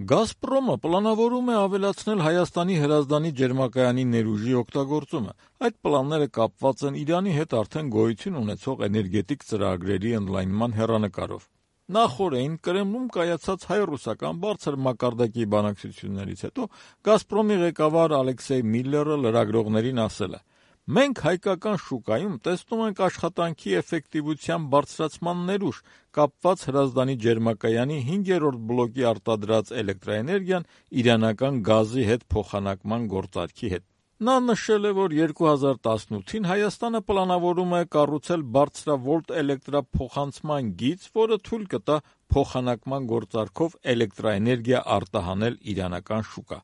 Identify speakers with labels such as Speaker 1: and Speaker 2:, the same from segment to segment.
Speaker 1: «Գազպրոմը» պլանավորում է ավելացնել Հայաստանի հրազդանի ջերմակայանի ներուժի օգտագործումը։ Այդ պլանները կապված են Իրանի հետ արդեն գոյություն ունեցող էներգետիկ ծրագրերի ընդլայնման հեռանկարով։ Նախօրեին Կրեմլում կայացած հայ-ռուսական բարձր մակարդակի բանակցություններից հետո «Գազպրոմի» ղեկավար Ալեքսեյ Միլլերը լրագրողներին ասել է. «Մենք հայկական շուկայում տեսնում ենք աշխատանքի էֆեկտիվության բարձրացման ներուժ, կապված Հրազդանի ջերմակայանի 5-րդ բլոկի արտադրած էլեկտրաէներգիան իրանական գազի հետ փոխանակման գործարքի հետ»։ Նա նշել է, որ 2018-ին Հայաստանը պլանավորում է կառուցել բարձրավոլտ էլեկտրափոխանցման գիծ, որը թույլ կտա փոխանակման գործարքով էլեկտրաէներգիա արտահանել իրանական շուկա։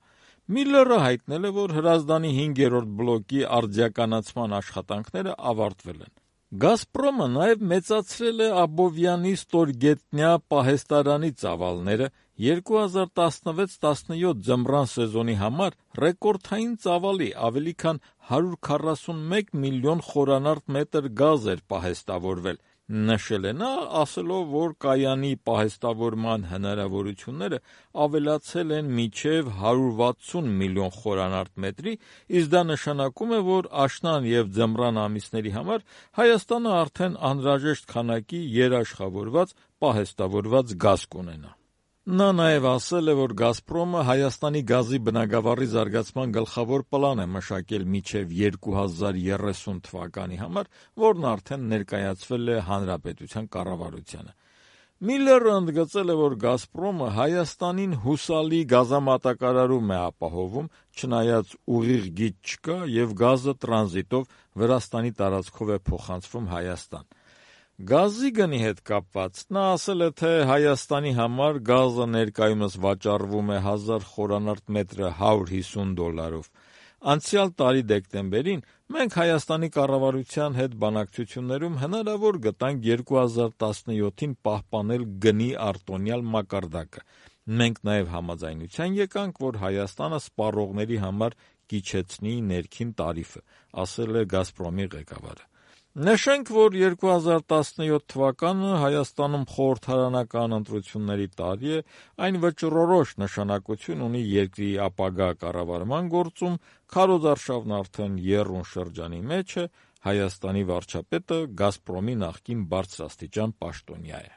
Speaker 1: Միլլերը հայտնել է, որ Հրազդանի 5-րդ բլոկի արդիականացման աշխատանքները ավարտվել են։ «Գազպրոմը» նաև մեծացրել է Աբովյանի ստորգետնյա պահեստարանի ծավալները 2016-17 ձմռան սեզոնի համար ռեկորդային ծավալի ավելի քան 141 միլիոն խորանարդ մետր գազ էր պահեստավորվել, նշել է նա, ասելով, որ կայանի պահեստավորման հնարավորությունները ավելացել են մինչև 160 միլիոն խորանարդ մետրի, իսկ դա նշանակում է, որ աշնան և ձմռան ամիսների համար Հայաստանը արդեն անհրաժեշտ քանակի երաշխավորված պահեստավորված գազ կունենա։ Նա նաև ասել է, որ «Գազպրոմը» Հայաստանի գազի բնագավառի զարգացման գլխավոր պլան է մշակել մինչև 2030 թվականի համար, որն արդեն ներկայացվել է Հանրապետության կառավարությանը։ Միլլերը ընդգծել է, որ «Գազպրոմը» Հայաստանին հուսալի գազամատակարարում է ապահովում, չնայած ուղիղ գիծ չկա և գազը տրանզիտով Վրաստանի տարածքով է փոխանցվում Հայաստան։ Գազի գնի հետ կապված նա ասել է, թե Հայաստանի համար գազը ներկայումս վաճառվում է 1000 խորանարդ մետրը $150։ Անցյալ տարի դեկտեմբերին մենք Հայաստանի կառավարության հետ բանակցություններում հնարավոր գտանք 2017-ին պահպանել գնի արտոնյալ մակարդակը։ Մենք նաև համաձայնության եկանք, որ Հայաստանը սպառողների համար կիչեցնի ներքին տարիֆը, ասել է «Գազպրոմի» ղեկավարը։ Նշենք, որ 2017 թվականը Հայաստանում խորհրդարանական ընտրությունների տարի է, այն վճռորոշ նշանակություն ունի երկրի ապագա կառավարման գործում, քարոզարշավն արդեն եռուն շրջանի մեջ է, Հայաստանի վարչապետը «Գազպրոմի» նախկին բարձրաստիճան պաշտոնյա է։